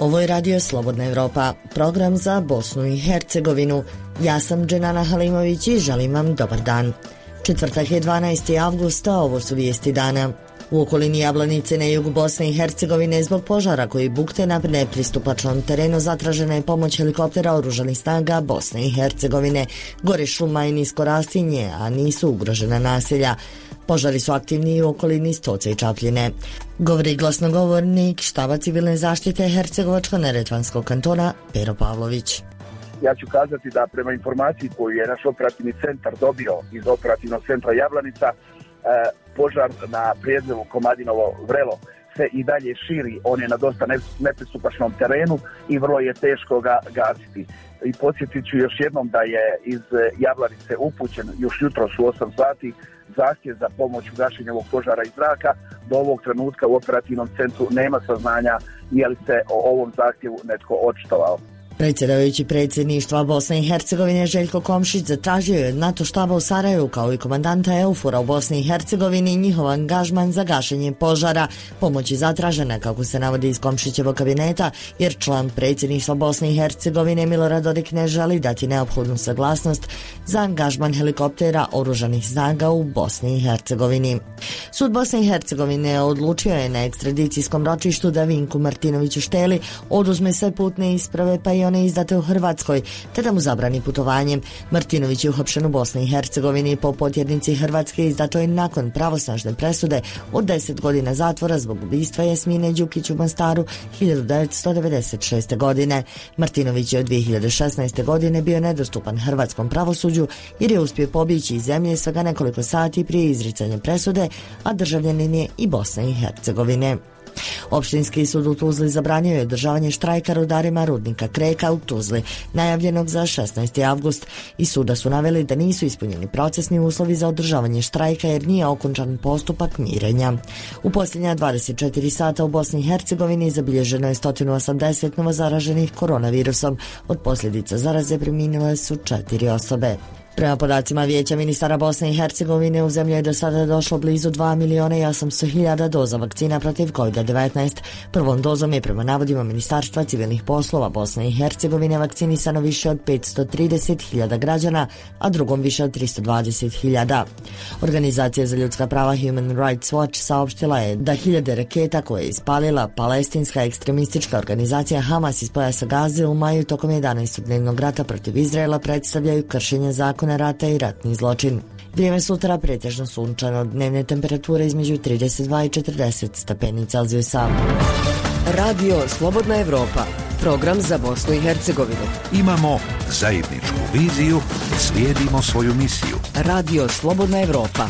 Ovo je Radio Slobodna Evropa, program za Bosnu i Hercegovinu. Ja sam Dženana Halimović i želim vam dobar dan. Četvrtak je 12. avgusta, ovo su vijesti dana. U okolini Jablanice na jugu Bosne i Hercegovine zbog požara koji bukte na nepristupačnom terenu zatražena je pomoć helikoptera oružanih snaga Bosne i Hercegovine. Gore šuma i nisko rastinje, a nisu ugrožena naselja. Požari su aktivni i u okolini Stoca i Čapljine. Govori glasnogovornik štaba civilne zaštite Hercegovačko-neretvanskog kantona Pero Pavlović. Ja ću kazati da prema informaciji koju je naš operativni centar dobio iz operativnog centra Jablanica, požar na prijezelu Komadinovo Vrelo se i dalje širi. On je na dosta nepristupačnom terenu i vrlo je teško ga gasiti. I podsjetit ću još jednom da je iz Jablanice upućen još jutros u 8 sati zahtjev za pomoć u gašenju ovog požara iz zraka. Do ovog trenutka u operativnom centru nema saznanja je li se o ovom zahtjevu netko očitovao. Predsjedavajući predsjedništva Bosne i Hercegovine Željko Komšić zatražio je od NATO štaba u Sarajevu kao i komandanta EUFOR-a u Bosni i Hercegovini njihov angažman za gašenje požara. Pomoć je zatražena, kako se navodi iz Komšićevog kabineta, jer član predsjedništva Bosne i Hercegovine Milorad Dodik ne želi dati neophodnu saglasnost za angažman helikoptera oružanih snaga u Bosni i Hercegovini. Sud Bosne i Hercegovine odlučio je na ekstradicijskom ročištu da Vinku Martinoviću Šteli oduzme sve putne isprave pa i one izdate u Hrvatskoj, te da mu zabrani putovanjem. Martinović je uhapšen u Bosni i Hercegovini po potjernici Hrvatske izdato je nakon pravosnažne presude od 10 godina zatvora zbog ubistva Jasmine Đukić u Mostaru 1996. godine. Martinović je od 2016. godine bio nedostupan hrvatskom pravosuđu jer je uspio pobjeći iz zemlje svega nekoliko sati prije izricanja presude, a državljanin je i Bosne i Hercegovine. Opštinski sud u Tuzli zabranio je održavanje štrajka rudarima rudnika Kreka u Tuzli, najavljenog za 16. avgust. Iz suda su naveli da nisu ispunjeni procesni uslovi za održavanje štrajka jer nije okončan postupak mirenja. U posljednja 24 sata u Bosni i Hercegovini zabilježeno je 180 novozaraženih koronavirusom. Od posljedica zaraze preminule su 4 osobe. Prema podacima Vijeća ministara Bosne i Hercegovine u zemlji je do sada došlo blizu 2.800.000 doza vakcina protiv COVID-19. Prvom dozom je prema navodima Ministarstva civilnih poslova Bosne i Hercegovine vakcinisano više od 530.000 građana, a drugom više od 320.000. Organizacija za ljudska prava Human Rights Watch saopštila je da hiljade raketa koje je ispalila palestinska ekstremistička organizacija Hamas iz pojasa Gaze u maju tokom 11-dnevnog rata protiv Izraela predstavljaju kršenje zakona rata i ratni zločin. Vrijeme sutra pretežno sunčano, dnevne temperature između 32 i 40 stepeni Celzijusa. Radio Slobodna Evropa, program za Bosnu i Hercegovinu. Imamo zajedničku viziju, slijedimo svoju misiju. Radio Slobodna Evropa.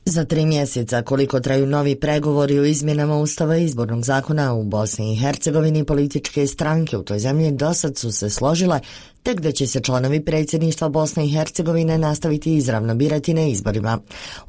Za 3 mjeseca, koliko traju novi pregovori o izmjenama Ustava i izbornog zakona u Bosni i Hercegovini, političke stranke u toj zemlji dosad su se složile tek da će se članovi predsjedništva Bosne i Hercegovine nastaviti izravno birati na izborima.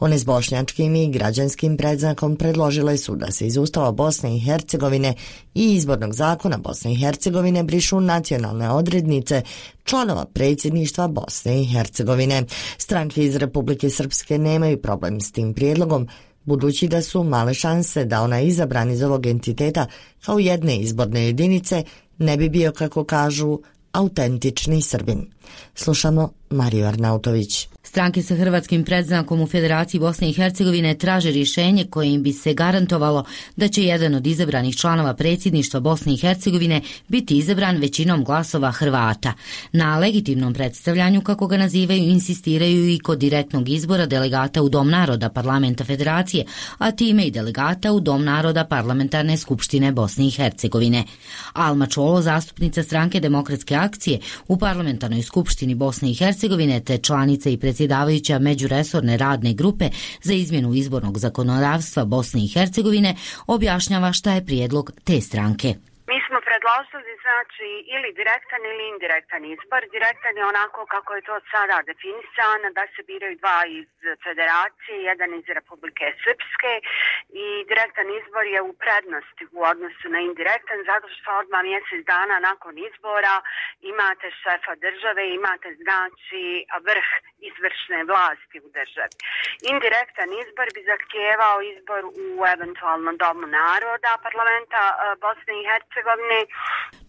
One s bošnjačkim i građanskim predznakom predložile su da se iz Ustava Bosne i Hercegovine i izbornog zakona Bosne i Hercegovine brišu nacionalne odrednice članova predsjedništva Bosne i Hercegovine. Stranke iz Republike Srpske nemaju problem s tim prijedlogom, budući da su male šanse da ona izabran iz ovog entiteta kao jedne izborne jedinice ne bi bio, kako kažu, autentični Srbin. Slušamo Mariju Arnautović. Stranke sa hrvatskim predznakom u Federaciji Bosne i Hercegovine traže rješenje kojim bi se garantovalo da će jedan od izabranih članova predsjedništva Bosne i Hercegovine biti izabran većinom glasova Hrvata. Na legitimnom predstavljanju, kako ga nazivaju, insistiraju i kod direktnog izbora delegata u Dom naroda Parlamenta Federacije, a time i delegata u Dom naroda Parlamentarne skupštine Bosne i Hercegovine. Alma Čolo, zastupnica stranke Demokratske akcije u Parlamentarnoj skupštini Bosne i Hercegovine te članica i predsjedavajuća međuresorne radne grupe za izmjenu izbornog zakonodavstva Bosne i Hercegovine, objašnjava šta je prijedlog te stranke. Mi smo pred predložili znači ili direktan ili indirektan izbor. Direktan je onako kako je to sada definisano, da se biraju dva iz federacije, jedan iz Republike Srpske, i direktan izbor je u prednosti u odnosu na indirektan, zato što odmah mjesec dana nakon izbora imate šefa države, imate znači vrh izvršne vlasti u državi. Indirektan izbor bi zahtijevao izbor u eventualno Domu naroda parlamenta Bosne i Hercegovine.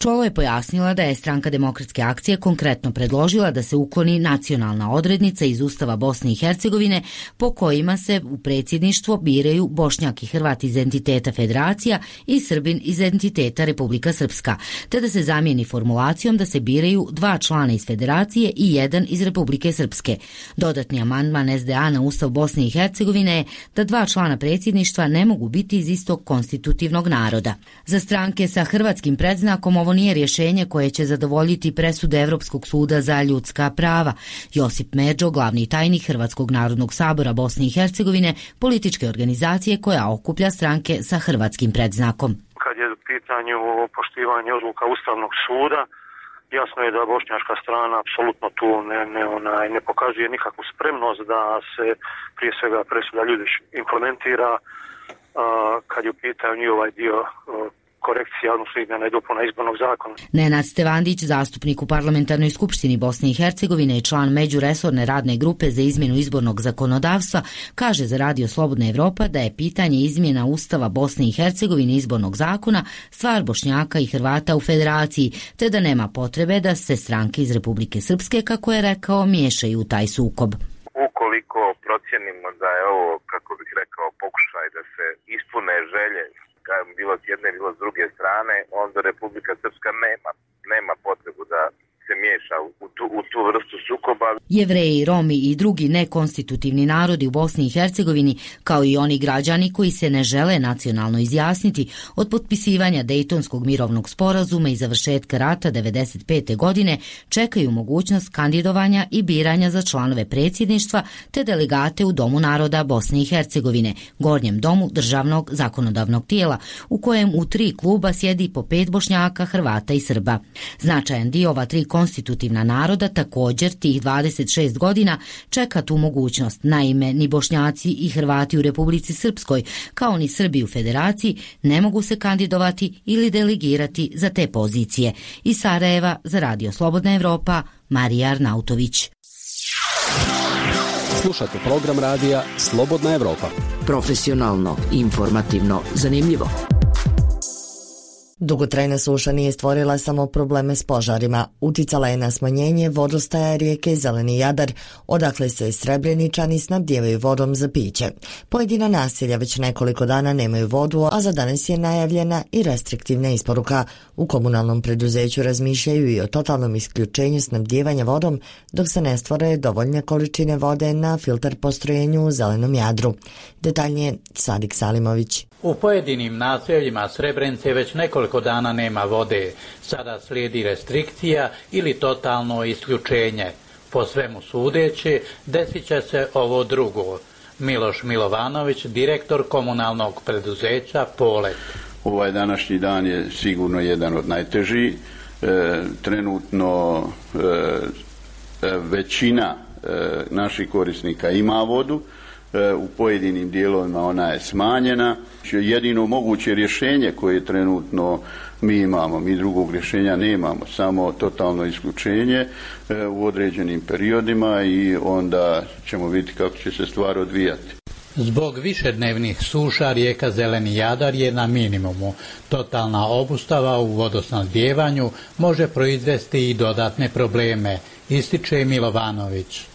Čolo je pojasnila da je Stranka demokratske akcije konkretno predložila da se ukloni nacionalna odrednica iz Ustava Bosne i Hercegovine po kojima se u predsjedništvo biraju Bošnjak i Hrvat iz entiteta Federacija i Srbin iz entiteta Republika Srpska, te da se zamijeni formulacijom da se biraju dva člana iz Federacije i jedan iz Republike Srpske. Dodatni amandman SDA na Ustav Bosne i Hercegovine je da dva člana predsjedništva ne mogu biti iz istog konstitutivnog naroda. Za stranke sa hrvatskim predznakom ovo nije rješenje koje će zadovoljiti presude Evropskog suda za ljudska prava. Josip Merđo, glavni tajnik Hrvatskog narodnog sabora Bosne i Hercegovine, političke organizacije koja okuplja stranke sa hrvatskim predznakom. Kad je u pitanju poštivanje odluka Ustavnog suda, jasno je da bošnjačka strana apsolutno tu ne pokazuje nikakvu spremnost da se prije svega presuda Ljudić implementira kad je u pitanju ovaj dio korekcija, odnosno izmjena i dopuna izbornog zakona. Nenad Stevandić, zastupnik u Parlamentarnoj skupštini Bosne i Hercegovine i član međuresorne radne grupe za izmjenu izbornog zakonodavstva, kaže za Radio Slobodna Evropa da je pitanje izmjena Ustava Bosne i Hercegovine izbornog zakona stvar Bošnjaka i Hrvata u Federaciji, te da nema potrebe da se stranke iz Republike Srpske, kako je rekao, miješaju u taj sukob. Ukoliko procjenimo da je ovo, kako bih rekao, pokušaj da se ispune želje bilo s jedne, bilo s druge strane, onda Republika Srpska nema potrebu da se miješa u tu vrstu sukoba. Jevreji, Romi i drugi nekonstitutivni narodi u Bosni i Hercegovini, kao i oni građani koji se ne žele nacionalno izjasniti, od potpisivanja Dejtonskog mirovnog sporazuma i završetka rata 1995. godine čekaju mogućnost kandidovanja i biranja za članove predsjedništva te delegate u Domu naroda Bosne i Hercegovine, gornjem domu državnog zakonodavnog tijela, u kojem u 3 kluba sjedi po 5 Bošnjaka, Hrvata i Srba. Značajan dio ova 3 konstitutivna naroda također tih 26 godina čeka tu mogućnost. Naime, ni Bošnjaci i Hrvati u Republici Srpskoj, kao ni Srbi u Federaciji, ne mogu se kandidovati ili delegirati za te pozicije. Iz Sarajeva za Radio Slobodna Evropa, Marija Arnautović. Slušate program radija Slobodna Evropa. Profesionalno, informativno, zanimljivo. Dugotrajna suša nije stvorila samo probleme s požarima, uticala je na smanjenje vodostaja rijeke Zeleni Jadar, odakle se Srebreničani snabdijevaju vodom za piće. Pojedina naselja već nekoliko dana nemaju vodu, a za danas je najavljena i restriktivna isporuka. U komunalnom preduzeću razmišljaju i o totalnom isključenju snabdijevanja vodom dok se ne stvore dovoljne količine vode na filter postrojenju u Zelenom Jadru. Detaljnije Sadik Salimović. U pojedinim naseljima Srebrenice već nekoliko dana nema vode. Sada slijedi restrikcija ili totalno isključenje. Po svemu sudeći, desit će se ovo drugo. Miloš Milovanović, direktor komunalnog preduzeća Polet. Ovaj današnji dan je sigurno jedan od najtežih. Trenutno većina naših korisnika ima vodu. U pojedinim dijelovima ona je smanjena. Jedino moguće rješenje koje trenutno mi imamo, mi drugog rješenja nemamo, samo totalno isključenje u određenim periodima i onda ćemo vidjeti kako će se stvar odvijati. Zbog višednevnih suša rijeka Zeleni Jadar je na minimumu. Totalna obustava u vodosnabdijevanju može proizvesti i dodatne probleme, ističe Milovanović.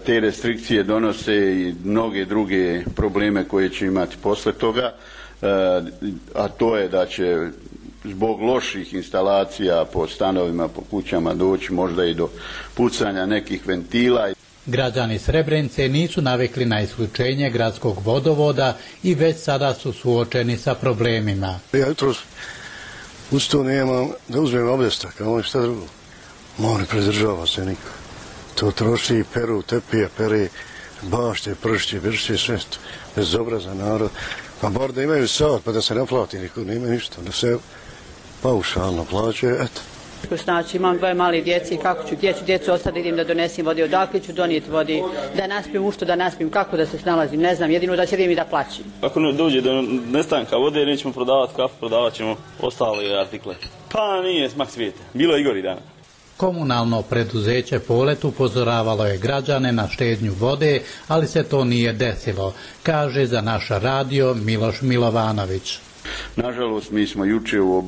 Te restrikcije donose i mnoge druge probleme koje će imati posle toga, a to je da će zbog loših instalacija po stanovima, po kućama doći možda i do pucanja nekih ventila. Građani Srebrenice nisu navikli na isključenje gradskog vodovoda i već sada su suočeni sa problemima. Ja jutros uz to nemam da uzmem objestak, a ono šta drugo. Ne pridržava se niko. To troši, peru, tepije, pere, bašte, pršće, vršće, sve to. Bezobrazan narod. Pa bar da imaju sat, pa da se naplati niko, nema ništa. Da se paušalno plaćaju, eto. Znači imam 2 male djece i gdje ću djecu ostati, idem da donesem vode, odakle ću donijeti vode, da naspim, u što da naspim, kako da se snalazim, ne znam, jedino da sjedim i da plaćim. Ako dođe do nestanka vode, nećemo prodavati kafu, prodavat ćemo ostale artikle. Pa nije smak svijeta, bilo je i gori dana. Komunalno preduzeće Polet upozoravalo je građane na štednju vode, ali se to nije desilo, kaže za naš radio Miloš Milovanović. Nažalost, mi smo juče u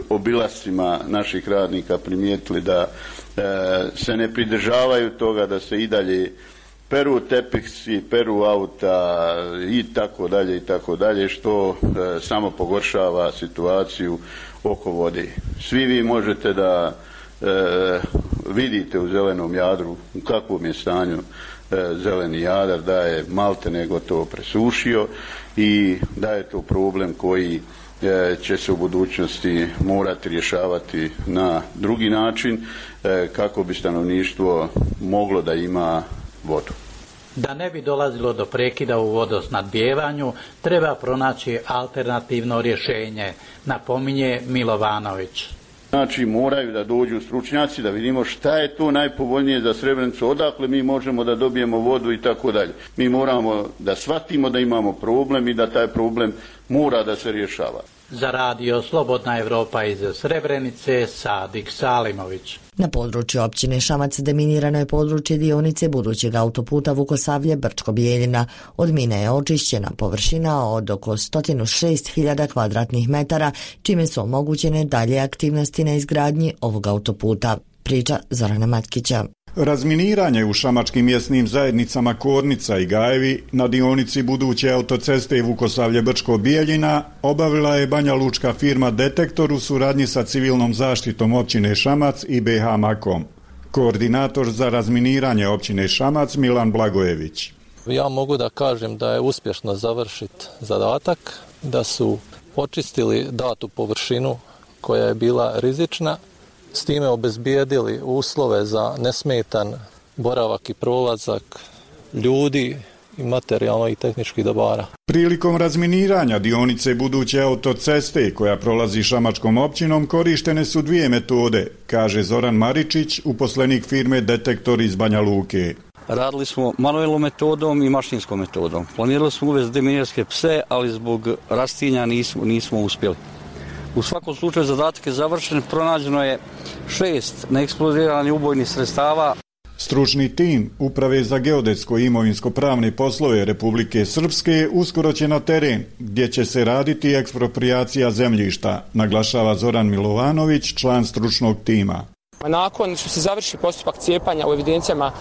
obilascima naših radnika primijetili da se ne pridržavaju toga, da se i dalje peru tepisi, peru auta i tako dalje, što samo pogoršava situaciju oko vode. Svi vi možete da vidite u Zelenom Jadru u kakvom je stanju Zeleni Jadar, da je maltene gotovo presušio i da je to problem koji će se u budućnosti morati rješavati na drugi način kako bi stanovništvo moglo da ima vodu. Da ne bi dolazilo do prekida u vodosnabdijevanju, treba pronaći alternativno rješenje, napominje Milovanović. Znači moraju da dođu stručnjaci da vidimo šta je to najpovoljnije za Srebrenicu, odakle mi možemo da dobijemo vodu i tako dalje. Mi moramo da shvatimo da imamo problem i da taj problem mora da se rješava. Za radio Slobodna Evropa iz Srebrenice, Sadik Salimović. Na području općine Šamac deminirano je područje dionice budućeg autoputa Vukosavlje-Brčko Bijeljina. Od mine je očišćena površina od oko 106.000 kvadratnih metara, čime su omogućene dalje aktivnosti na izgradnji ovog autoputa. Priča Zorana Matkića. Razminiranje u šamačkim mjesnim zajednicama Kornica i Gajevi na dionici buduće autoceste Vukosavlje-Brčko Bijeljina obavila je Banja Lučka firma Detektor u suradnji sa civilnom zaštitom općine Šamac i BH Makom. Koordinator za razminiranje općine Šamac Milan Blagojević. Ja mogu da kažem da je uspješno završit zadatak, da su očistili datu površinu koja je bila rizična, s time obezbijedili uslove za nesmetan boravak i prolazak ljudi i materijalno i tehničkih dobara. Prilikom razminiranja dionice buduće autoceste koja prolazi šamačkom općinom korištene su 2 metode, kaže Zoran Maričić, uposlenik firme Detektor iz Banja Luke. Radili smo manuelnom metodom i mašinskom metodom. Planirali smo uvesti deminirske pse, ali zbog rastinja nismo uspjeli. U svakom slučaju zadatak je završen, pronađeno je 6 neeksplodiranih ubojnih sredstava. Stručni tim Uprave za geodetsko i imovinsko-pravne poslove Republike Srpske uskoro će na teren, gdje će se raditi eksproprijacija zemljišta, naglašava Zoran Milovanović, član stručnog tima. Nakon što se završi postupak cijepanja u evidencijama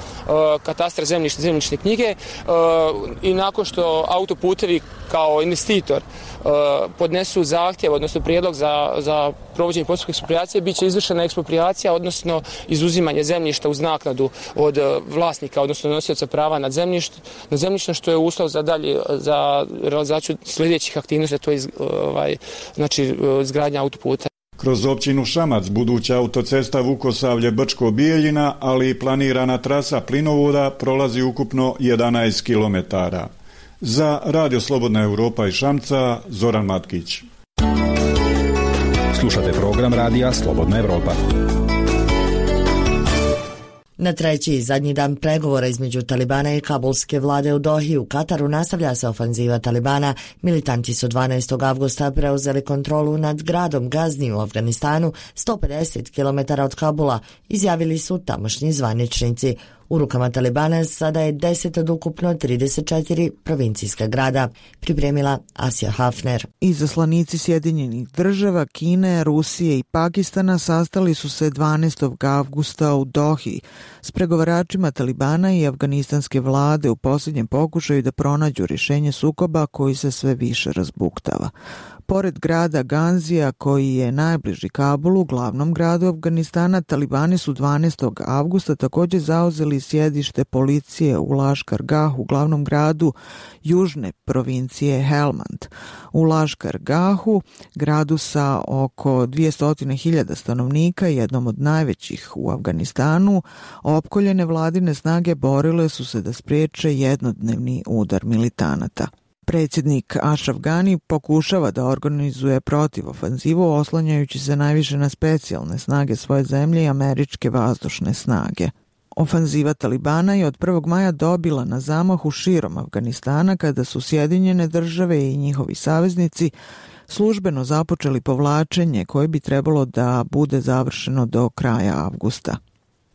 katastra zemljišta, zemljišne knjige i nakon što autoputevi kao investitor podnesu zahtjev, odnosno prijedlog za provođenje postupka eksproprijacije, bit će izvršena eksproprijacija, odnosno izuzimanje zemljišta uz naknadu od vlasnika, odnosno nosioca prava nad zemljištem, što je uslov za dalje za realizaciju sljedećih aktivnosti, to je izgradnja autoputa. Kroz općinu Šamac buduća autocesta Vukosavlje-Brčko Bijeljina, ali i planirana trasa plinovoda prolazi ukupno 11 km. Za Radio Slobodna Evropa iz Šamca, Zoran Matkić. Slušate program radija Slobodna Evropa. Na treći i zadnji dan pregovora između Talibana i kabulske vlade u Dohi u Kataru nastavlja se ofanziva Talibana. Militanti su 12. avgusta preuzeli kontrolu nad gradom Gazni u Afganistanu, 150 km od Kabula, izjavili su tamošnji zvaničnici. U rukama Talibana sada je 10 od ukupno 34 provincijska grada, pripremila Asja Hafner. Izaslanici Sjedinjenih država, Kine, Rusije i Pakistana sastali su se 12. avgusta u Dohi s pregovaračima Talibana i afganistanske vlade u posljednjem pokušaju da pronađu rješenje sukoba koji se sve više razbuktava. Pored grada Ganzija, koji je najbliži Kabulu, glavnom gradu Afganistana, Talibani su 12. avgusta također zauzeli sjedište policije u Laškar Gahu, glavnom gradu južne provincije Helmand. U Laškar Gahu, gradu sa oko 200.000 stanovnika, jednom od najvećih u Afganistanu, opkoljene vladine snage borile su se da spriječe jednodnevni udar militanata. Predsjednik Ashraf Ghani pokušava da organizuje protivofanzivu oslanjajući se najviše na specijalne snage svoje zemlje i američke vazdušne snage. Ofanziva Talibana je od 1. maja dobila na zamahu širom Afganistana kada su Sjedinjene države i njihovi saveznici službeno započeli povlačenje koje bi trebalo da bude završeno do kraja avgusta.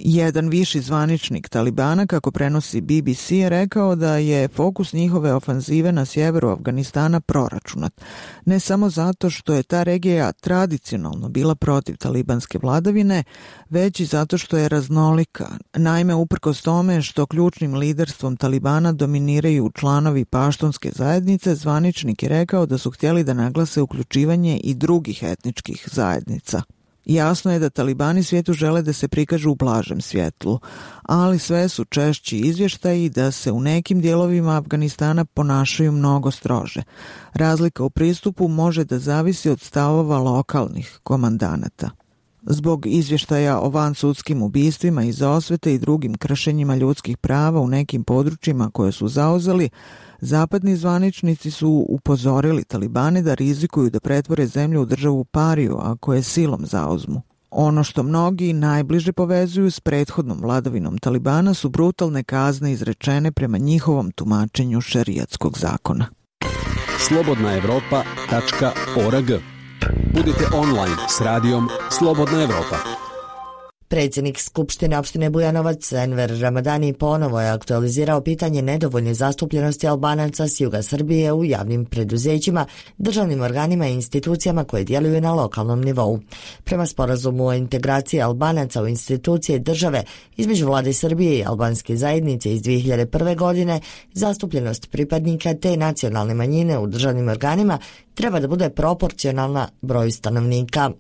Jedan viši zvaničnik Talibana, kako prenosi BBC, je rekao da je fokus njihove ofanzive na sjeveru Afganistana proračunat. Ne samo zato što je ta regija tradicionalno bila protiv talibanske vladavine, već i zato što je raznolika. Naime, uprkos tome što ključnim liderstvom Talibana dominiraju članovi paštunske zajednice, zvaničnik je rekao da su htjeli da naglase uključivanje i drugih etničkih zajednica. Jasno je da talibani svijetu žele da se prikažu u blažem svjetlu, ali sve su češći izvještaji da se u nekim dijelovima Afganistana ponašaju mnogo strože. Razlika u pristupu može da zavisi od stavova lokalnih komandanata. Zbog izvještaja o vansudskim ubistvima iz osvete i drugim kršenjima ljudskih prava u nekim područjima koje su zauzeli, zapadni zvaničnici su upozorili Talibane da rizikuju da pretvore zemlju u državu pariju ako je silom zauzmu. Ono što mnogi najbliže povezuju s prethodnom vladavinom Talibana su brutalne kazne izrečene prema njihovom tumačenju šerijatskog zakona. slobodnaevropa.org. Budite online s radijom Slobodna Evropa. Predsjednik Skupštine opštine Bujanovac Enver Ramadani ponovo je aktualizirao pitanje nedovoljne zastupljenosti Albanaca s juga Srbije u javnim preduzećima, državnim organima i institucijama koje djeluju na lokalnom nivou. Prema sporazumu o integraciji Albanaca u institucije države između vlade Srbije i albanske zajednice iz 2001. godine, zastupljenost pripadnika te nacionalne manjine u državnim organima treba da bude proporcionalna broju stanovnika.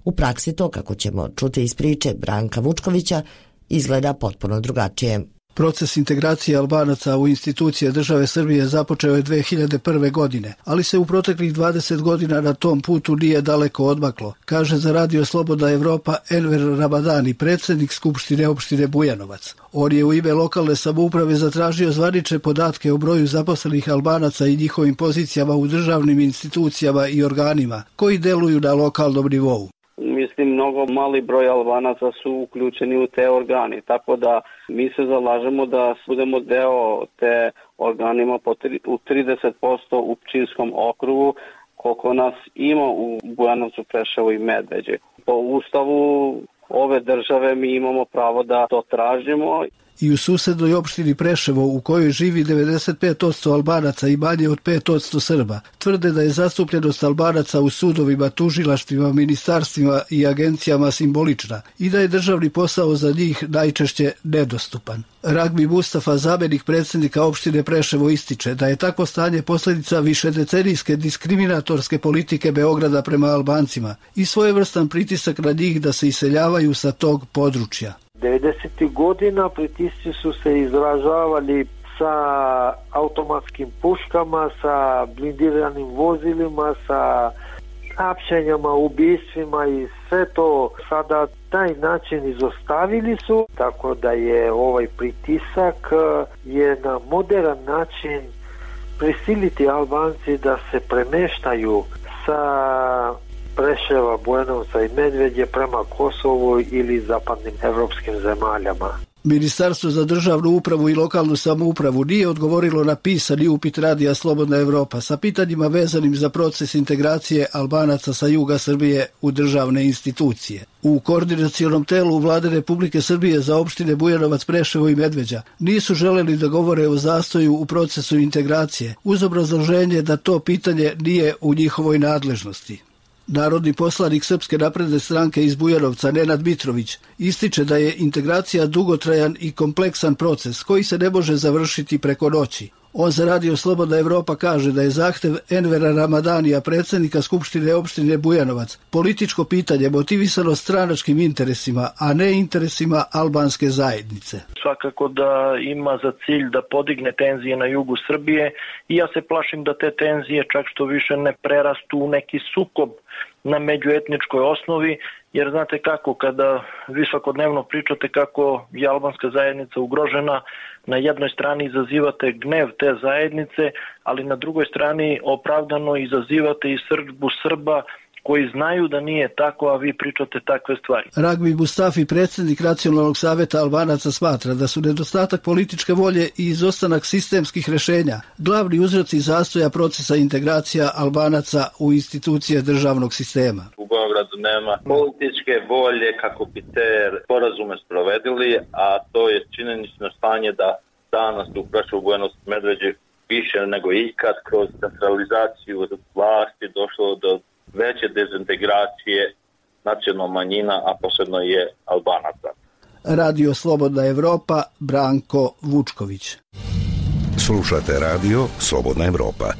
U praksi to, kako ćemo čuti iz priče Branka Vučkovića, izgleda potpuno drugačije. Proces integracije Albanaca u institucije države Srbije započeo je 2001. godine, ali se u proteklih 20 godina na tom putu nije daleko odmaklo, kaže za Radio Slobodna Evropa Enver Ramadani, predsjednik Skupštine opštine Bujanovac. On je u ime lokalne samouprave zatražio zvanične podatke o broju zaposlenih Albanaca i njihovim pozicijama u državnim institucijama i organima koji deluju na lokalnom nivou. Mislim, mnogo mali broj Albanaca su uključeni u te organi, tako da mi se zalažemo da budemo deo te organima u 30% u Pčinjskom okrugu, koliko nas ima u Bujanovcu, Preševu i Medveđi. Po ustavu ove države mi imamo pravo da to tražimo. I u susednoj opštini Preševo, u kojoj živi 95% Albanaca i manje od 5% Srba, tvrde da je zastupljenost Albanaca u sudovima, tužilaštvima, ministarstvima i agencijama simbolična i da je državni posao za njih najčešće nedostupan. Ragbi Mustafa, zamjenik predsjednika opštine Preševo, ističe da je takvo stanje posljedica višedecenijske diskriminatorske politike Beograda prema Albancima i svojevrstan pritisak na njih da se iseljavaju sa tog područja. 90. godina pritisci su se izražavali sa automatskim puškama, sa blindiranim vozilima, sa hapšenjama, ubistvima i sve to sada taj način izostavili su, tako da je ovaj pritisak je na modern način prisiliti Albanci da se premeštaju sa Preševa, Bujanovca i Medveđe prema Kosovu ili zapadnim evropskim zemaljama. Ministarstvo za državnu upravu i lokalnu samoupravu nije odgovorilo na pisani upit Radija Slobodna Evropa sa pitanjima vezanim za proces integracije Albanaca sa juga Srbije u državne institucije. U koordinacionom telu Vlade Republike Srbije za opštine Bujanovac, Preševo i Medveđa nisu želeli da govore o zastoju u procesu integracije, uz obrazloženje da to pitanje nije u njihovoj nadležnosti. Narodni poslanik Srpske napredne stranke iz Bujanovca Nenad Mitrović ističe da je integracija dugotrajan i kompleksan proces koji se ne može završiti preko noći. On za Radio Slobodna Evropa kaže da je zahtev Envera Ramadanija, predsjednika Skupštine opštine Bujanovac, političko pitanje motivisano stranačkim interesima, a ne interesima albanske zajednice. Svakako da ima za cilj da podigne tenzije na jugu Srbije i ja se plašim da te tenzije čak što više ne prerastu u neki sukob na međuetničkoj osnovi, jer znate kako, kada vi svakodnevno pričate kako je albanska zajednica ugrožena, na jednoj strani izazivate gnev te zajednice, ali na drugoj strani opravdano izazivate i srdbu Srba koji znaju da nije tako, a vi pričate takve stvari. Ragbi Mustafi, predsjednik Nacionalnog savjeta Albanaca, smatra da su nedostatak političke volje i izostanak sistemskih rješenja glavni uzroci zastoja procesa integracija Albanaca u institucije državnog sistema. U Beogradu nema političke volje kako bi te sporazume sprovedili, a to je činjenično stanje da danas u Preševu, Bujanovcu, Medveđi više nego ikad kroz centralizaciju vlasti došlo do veće dezintegracije nacionalna manjina, a posebno je Albanaca. Radio Slobodna Evropa, Branko Vučković. Slušate Radio Slobodna Evropa.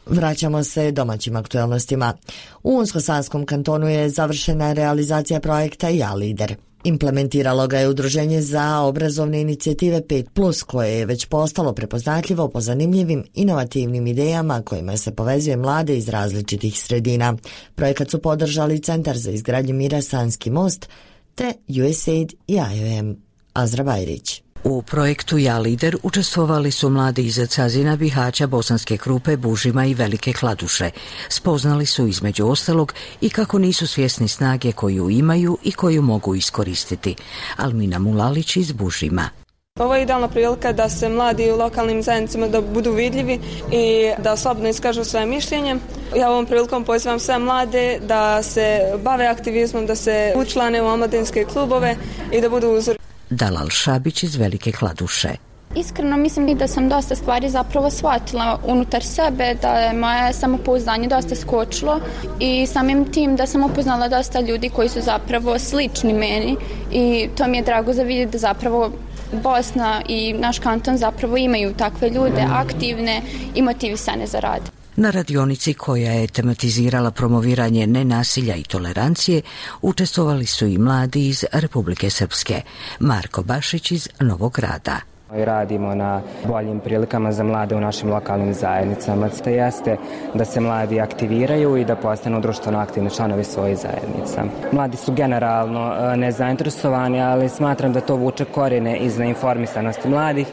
Vraćamo se domaćim aktualnostima. U Unsko-Sanskom kantonu je završena realizacija projekta Ja lider. Implementiralo ga je Udruženje za obrazovne inicijative 5+, koje je već postalo prepoznatljivo po zanimljivim, inovativnim idejama kojima se povezuje mlade iz različitih sredina. Projekat su podržali Centar za izgradnju mira Sanski most te USAID i IOM. Azra Bajrić. U projektu Ja lider učestvovali su mladi iz Cazina, Bihaća, Bosanske Krupe, Bužima i Velike Kladuše. Spoznali su između ostalog i kako nisu svjesni snage koju imaju i koju mogu iskoristiti. Almina Mulalić iz Bužima. Ovo je idealna prilika da se mladi u lokalnim zajednicama da budu vidljivi i da slobodno iskažu svoje mišljenje. Ja ovom prilikom pozivam sve mlade da se bave aktivizmom, da se učlane u omladinske klubove i da budu uzor. Dalal Šabić iz Velike Kladuše. Iskreno mislim i da sam dosta stvari zapravo shvatila unutar sebe, da je moje samopouzdanje dosta skočilo i samim tim da sam upoznala dosta ljudi koji su zapravo slični meni i to mi je drago za vidjeti da zapravo Bosna i naš kanton zapravo imaju takve ljude, aktivne i motivisane za rad. Na radionici koja je tematizirala promoviranje nenasilja i tolerancije učestvovali su i mladi iz Republike Srpske. Marko Bašić iz Novog Grada. Radimo na boljim prilikama za mlade u našim lokalnim zajednicama. To jeste da se mladi aktiviraju i da postanu društveno aktivni članovi svojih zajednica. Mladi su generalno nezainteresovani, ali smatram da to vuče korijene iz neinformisanosti mladih.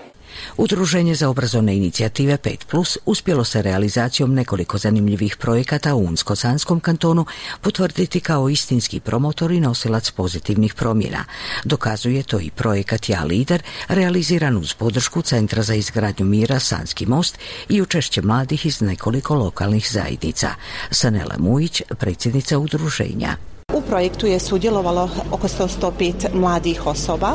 Udruženje za obrazovne inicijative 5+ uspjelo se realizacijom nekoliko zanimljivih projekata u Unsko-Sanskom kantonu potvrditi kao istinski promotor i nosilac pozitivnih promjena. Dokazuje to i projekat Ja lider, realiziran uz podršku Centra za izgradnju mira Sanski most i učešće mladih iz nekoliko lokalnih zajednica. Sanela Mujić, predsjednica udruženja. U projektu je sudjelovalo oko 105 mladih osoba,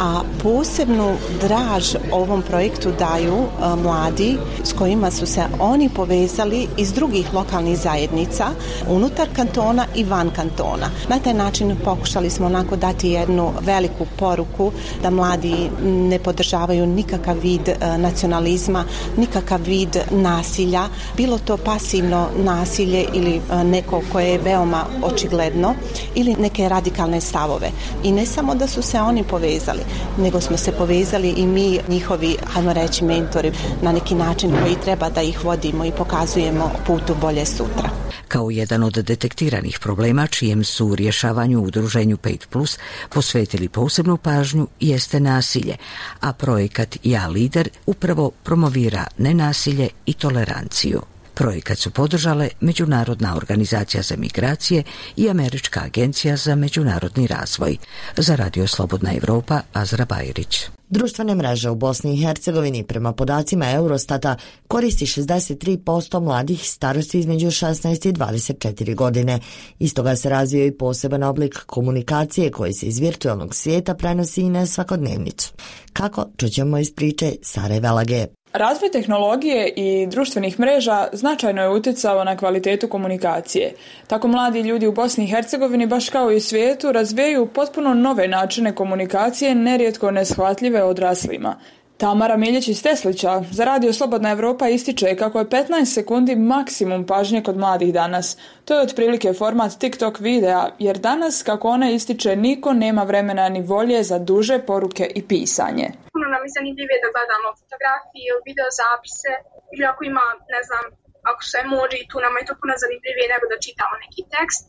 a posebnu draž ovom projektu daju mladi s kojima su se oni povezali iz drugih lokalnih zajednica unutar kantona i van kantona. Na taj način pokušali smo onako dati jednu veliku poruku da mladi ne podržavaju nikakav vid nacionalizma, nikakav vid nasilja, bilo to pasivno nasilje ili neko koje je veoma očigledno ili neke radikalne stavove. I ne samo da su se oni povezali, nego smo se povezali i mi, njihovi, hajmo reći, mentori, na neki način koji treba da ih vodimo i pokazujemo putu bolje sutra. Kao jedan od detektiranih problema čijem su rješavanju u udruženju 5+ posvetili posebnu pažnju jeste nasilje, a projekat Ja lider upravo promovira nenasilje i toleranciju. Projekat su podržale Međunarodna organizacija za migracije i Američka agencija za međunarodni razvoj. Za Radio Slobodna Evropa, Azra Bajrić. Društvene mreže u Bosni i Hercegovini prema podacima Eurostata koristi 63% mladih starosti između 16 i 24 godine. Iz toga se razvio i poseban oblik komunikacije koji se iz virtualnog svijeta prenosi i na svakodnevnicu. Kako? Čućemo iz priče Sare Velage. Razvoj tehnologije i društvenih mreža značajno je utjecao na kvalitetu komunikacije. Tako mladi ljudi u Bosni i Hercegovini, baš kao i u svijetu, razvijaju potpuno nove načine komunikacije, nerijetko neshvatljive odraslima. Tamara Miljić iz Teslića za Radio Slobodna Evropa ističe kako je 15 sekundi maksimum pažnje kod mladih danas. To je otprilike format TikTok videa, jer danas, kako ona ističe, niko nema vremena ni volje za duže poruke i pisanje. Puno nam je zanimljivije da gledamo fotografije, video zapise ili ako ima, ne znam, ako sve može i tu nama je to puno zanimljivije nego da čitamo neki tekst.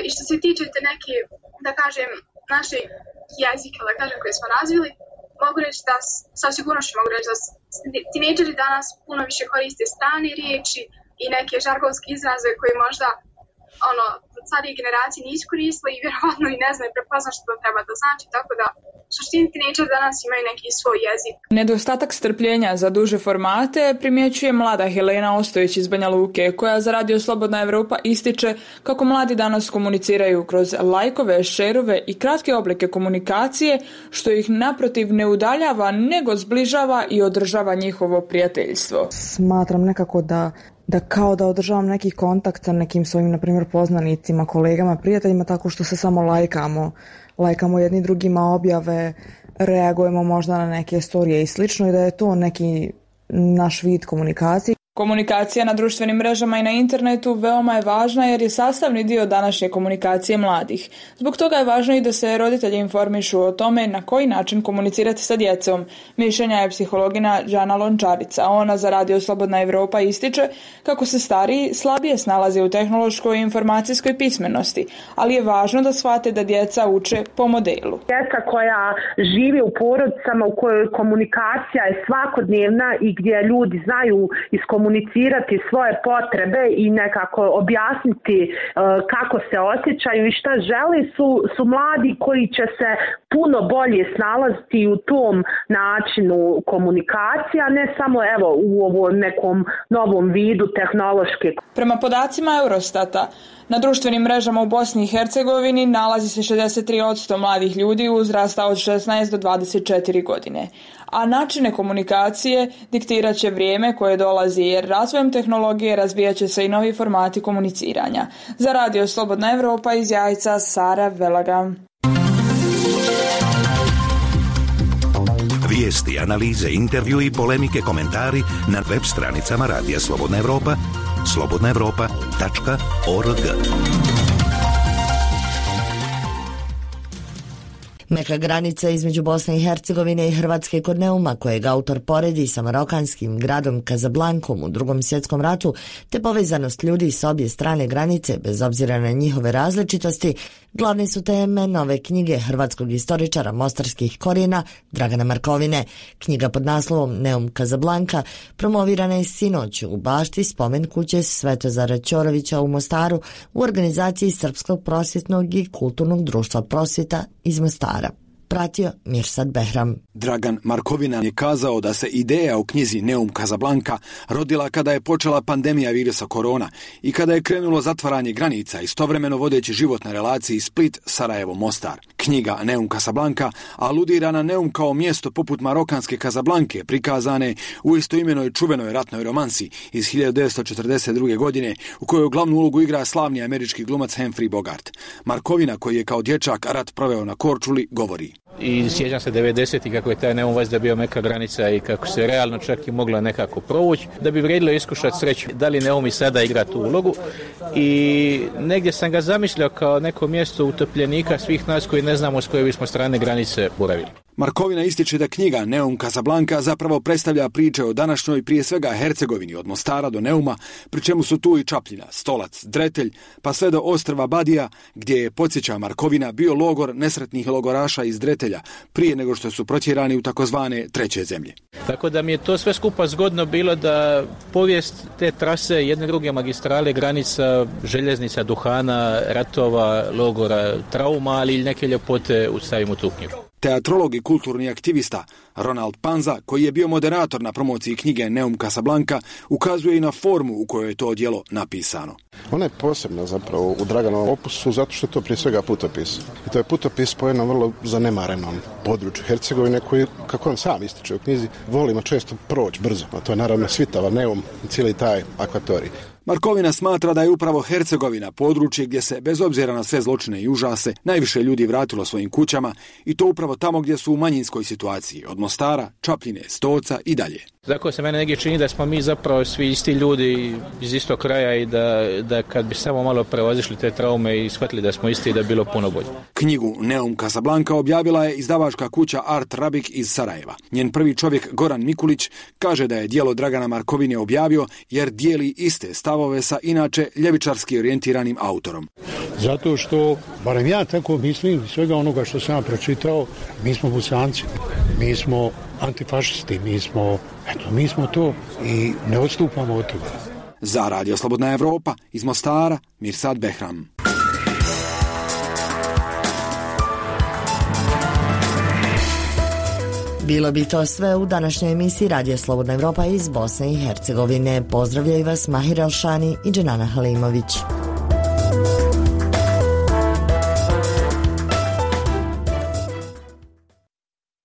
I što se tiče te neke, da kažem, naše jezike, da kažem, koje smo razvili, mogu reći da, sa sigurnošću mogu reći da tinejdžeri danas puno više koriste strane riječi i neke žargonske izraze koje možda starije generacije nisu koristile i vjerovatno i ne znaju prepoznat što to treba da znači, tako da u suštini tinejdžeri danas imaju neki svoj jezik. Nedostatak strpljenja za duže formate primjećuje mlada Helena Ostojić iz Banja Luke, koja za Radio Slobodna Evropa ističe kako mladi danas komuniciraju kroz lajkove, šerove i kratke oblike komunikacije, što ih naprotiv ne udaljava, nego zbližava i održava njihovo prijateljstvo. Smatram nekako da kao da održavam neki kontakt sa nekim svojim, na primjer, poznanicima, kolegama, prijateljima, tako što se samo lajkamo jedni drugima objave, reagujemo možda na neke storije i slično, i da je to neki naš vid komunikacije. Komunikacija na društvenim mrežama i na internetu veoma je važna jer je sastavni dio današnje komunikacije mladih. Zbog toga je važno i da se roditelji informišu o tome na koji način komunicirati sa djecom. Mišljenja je psihologina Đana Lončarica. Ona za Radio Slobodna Evropa ističe kako se stariji slabije snalaze u tehnološkoj i informacijskoj pismenosti, ali je važno da shvate da djeca uče po modelu. Djeca koja žive u porodicama u kojoj komunikacija je svakodnevna i gdje ljudi znaju iskomunicirati svoje potrebe i nekako objasniti kako se osjećaju i šta žele su mladi koji će se puno bolje snalaziti u tom načinu komunikacije, a ne samo u ovom nekom novom vidu tehnološke. Prema podacima Eurostata, na društvenim mrežama u Bosni i Hercegovini nalazi se 63% mladih ljudi uzrasta od 16 do 24 godine. A načine komunikacije diktirat će vrijeme koje dolazi, jer razvojem tehnologije razvijat će se i novi formati komuniciranja. Za Radio Slobodna Evropa iz Jajca, Sara Velaga. Vijesti, analize, intervju i polemike, komentari na web stranicama Radija Slobodna Evropa, slobodnaevropa.org. Meka granica između Bosne i Hercegovine i Hrvatske kod Neuma, kojeg autor poredi sa marokanskim gradom Kazablankom u Drugom svjetskom ratu, te povezanost ljudi s obje strane granice, bez obzira na njihove različitosti, glavne su teme nove knjige hrvatskog istoričara mostarskih korijena Dragana Markovine. Knjiga pod naslovom Neum Kazablanka promovirana je sinoć u bašti spomen kuće Svetozara Ćorovića u Mostaru u organizaciji Srpskog prosvjetnog i kulturnog društva Prosvjeta iz Mostara. Pratio Mirsad Behram. Dragan Markovina je kazao da se ideja o knjizi Neum Kazablanka rodila kada je počela pandemija virusa korona i kada je krenulo zatvaranje granica, istovremeno vodeći život na relaciji Split-Sarajevo-Mostar. Knjiga Neum Kazablanka aludira na Neum kao mjesto poput marokanske Kazablanke, prikazane u istoimenoj čuvenoj ratnoj romansi iz 1942. godine, u kojoj glavnu ulogu igra slavni američki glumac Humphrey Bogart. Markovina, koji je kao dječak rat proveo na Korčuli, govori: I sjećam se 90-ih kako je taj Neum vazda bio meka granica i kako se realno čak i mogla nekako provući, da bi vrijedilo iskušati sreću. Da li Neum i sada igra tu ulogu? I negdje sam ga zamislio kao neko mjesto utopljenika svih nas koji ne znamo s koje bismo strane granice boravili. Markovina ističe da knjiga Neum Kazablanka zapravo predstavlja priče o današnjoj, prije svega Hercegovini, od Mostara do Neuma, pri čemu su tu i Čapljina, Stolac, Dretelj, pa sve do ostrva Badija, gdje je, podsjeća Markovina, bio logor nesretnih logoraša iz Dretelja, prije nego što su protjerani u takozvane treće zemlje. Tako da mi je to sve skupa zgodno bilo da povijest te trase, jedne druge magistrale, granica, željeznica, duhana, ratova, logora, trauma, ali i neke ljepote stavimo u tu knjigu. Teatrolog i kulturni aktivista Ronald Panza, koji je bio moderator na promociji knjige Neum Kazablanka, ukazuje i na formu u kojoj je to djelo napisano. Ona je posebna zapravo u Draganovom opusu zato što je to prije svega putopis. I to je putopis po jednom vrlo zanemarenom području Hercegovine koji, kako on sam ističe u knjizi, volimo često proći brzo. A to je naravno Svitava, Neum i cijeli taj akvatorij. Markovina smatra da je upravo Hercegovina područje gdje se, bez obzira na sve zločine i užase, najviše ljudi vratilo svojim kućama i to upravo tamo gdje su u manjinskoj situaciji, od Mostara, Čapljine, Stoca i dalje. Tako se mene negdje čini da smo mi zapravo svi isti ljudi iz istog kraja i da kad bi samo malo prevazišli te traume i shvatili da smo isti, da bi bilo puno bolje. Knjigu Neum Casablanca objavila je izdavačka kuća Art Rabik iz Sarajeva. Njen prvi čovjek Goran Mikulić kaže da je djelo Dragana Markovine objavio jer dijeli iste stavove sa inače ljevičarski orijentiranim autorom. Zato što, barem ja tako mislim, svega onoga što sam ja pročitao, mi smo Bosanci, mi smo antifašisti, mi smo to i ne odstupamo od toga. Za Radio Slobodna Evropa iz Mostara, Mirsad Behram. Bilo bi to sve u današnjoj emisiji Radio Slobodna Evropa iz Bosne i Hercegovine. Pozdravljaju vas Mahir Elšani i Dženana Halimović.